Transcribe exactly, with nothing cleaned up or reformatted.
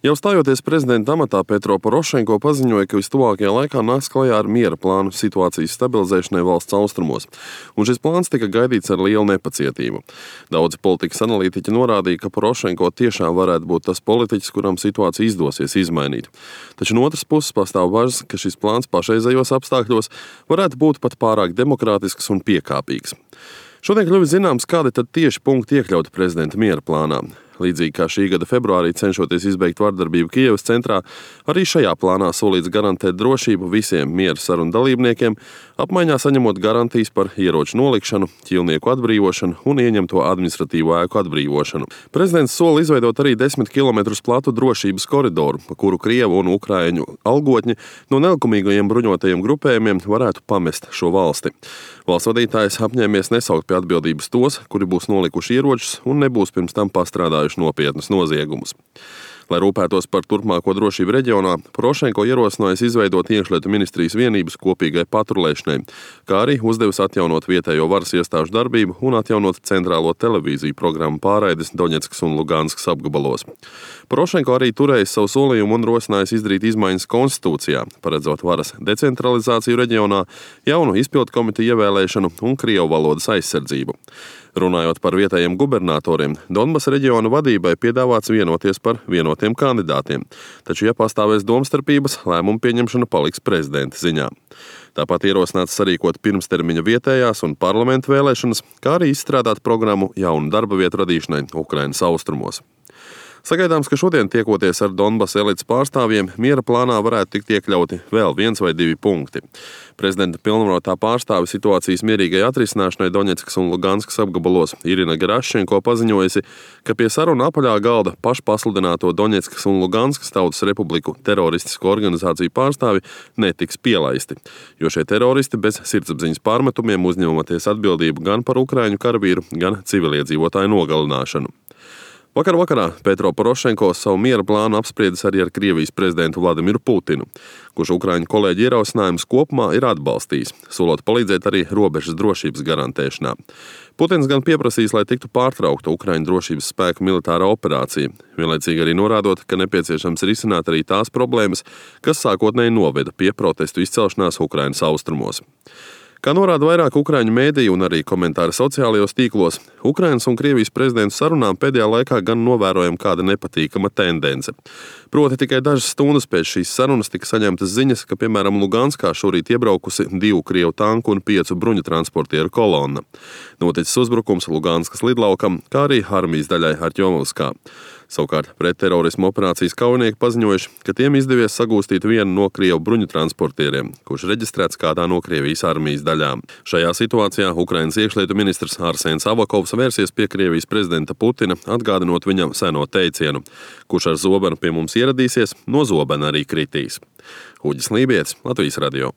Jau stājoties prezidenta amatā, Petro Porošenko paziņoja, ka vistuvākajā laikā nāks klajā ar miera plānu situācijas stabilizēšanai valsts austrumos, un šis plāns tika gaidīts ar lielu nepacietību. Daudzi politikas analītiķi norādīja, ka Porošenko tiešām varētu būt tas politiķis, kuram situācija izdosies izmainīt. Taču no otras puses pastāv bažas, ka šis plāns pašreizējos apstākļos varētu būt pat pārāk demokrātisks un piekāpīgs. Šodien kļuvis zināms, kādi tad tieši punkti iekļauti prezidenta miera plānā. Līdzīgi kā šī gada februārī cenšoties izbeigt vardarbību Kijevas centrā, arī šajā plānā solīts garantēt drošību visiem miera sarunu dalībniekiem, apmaiņā saņemot garantijas par ieroču nolikšanu, ķīlnieku atbrīvošanu un ieņemto administratīvo ēku atbrīvošanu. Prezidents sola izveidot arī desmit kilometrus platu drošības koridoru, pa kuru Krievu un Ukraiņu algotņi no nelikumīgajiem bruņotajiem grupējumiem varētu pamest šo valsti. Valsts vadītājs apņēmies nesaukt pie atbildības tos, kuri būs nolikuši ieročus un nebūs pirms tam pastrādājuši nopietnus noziegumus. Lai rūpētos par turpmāko drošību reģionā, Porošenko ierosinājis izveidot iekšlietu ministrijas vienības kopīgai patrulēšanai, kā arī uzdevis atjaunot vietējo varas iestāžu darbību un atjaunot centrālo televīziju programmu pārraides Doņetskas un Luganskas apgabalos. Porošenko arī turējis savu solījumu un rosinājis izdarīt izmaiņas konstitūcijā, paredzot varas decentralizāciju reģionā, jaunu izpildu komiteju ievēlēšanu un krievu valodas aizsardzību. Runājot par vietējiem gubernatoriem, Donbasa reģiona vadībai piedāvāts vienoties par vienotiem kandidātiem, taču, ja pastāvēs domstarpības, lēmumu pieņemšana paliks prezidenta ziņā. Tāpat ierosināts sarīkot pirmstermiņa vietējās un parlamentu vēlēšanas, kā arī izstrādāt programmu jaunu darba vietu radīšanai Ukrainas austrumos. Sagaidāms, ka šodien tiekoties ar Donbasa elites pārstāvjiem, miera plānā varētu tikt iekļauti vēl viens vai divi punkti. Prezidenta pilnvarotā pārstāve situācijas mierīgai atrisināšanai Doņetskas un Luganskas apgabalos Irina Gerašenko paziņojusi, ka pie saruna apaļā galda pašpasludināto Doņetskas un Luganskas tautas republiku teroristisko organizāciju pārstāvi netiks pielaisti, jo šie teroristi bez sirdsapziņas pārmetumiem uzņematies atbildību gan par ukraiņu karavīru, gan civiliedzīvotāju nogalināšanu. Vakar vakarā Petro Porošenko savu miera plānu apspriedis arī ar Krievijas prezidentu Vladimiru Putinu, kurš ukraiņu kolēģi ierosinājumus kopumā ir atbalstījis, solot palīdzēt arī robežas drošības garantēšanā. Putins gan pieprasīs, lai tiktu pārtraukta Ukraiņu drošības spēku militārā operācija, vienlaicīgi arī norādot, ka nepieciešams risināt arī tās problēmas, kas sākotnēji noveda pie protestu izcelšanās Ukrainas austrumos. Kā norāda vairāk ukraiņu mēdīju un arī komentāri sociālajos tīklos, Ukrainas un Krievijas prezidentu sarunām pēdējā laikā gan novērojama kāda nepatīkama tendence. Proti tikai dažas stundas pēc šīs sarunas tika saņemtas ziņas, ka, piemēram, Luganskā šorīt iebraukusi divu krievu tanku un piecu bruņu transportieru kolonna. Noticis uzbrukums Luganskas lidlaukam, kā arī armijas daļai Artjomovskā. Savukārt pretterorismu operācijas kaujinieki paziņojuši, ka tiem izdevies sagūstīt vienu no krievu bruņu transportieriem, kurš reģistrēts kādā no Krievijas armijas daļām. Šajā situācijā Ukrainas iekšlietu ministrs Arsēns Avakovs vērsies pie Krievijas prezidenta Putina, atgādinot viņam seno teicienu: kurš ar zobenu pie mums ieradīsies, no zobena arī kritīs. Uģis Lībietis, Latvijas radio.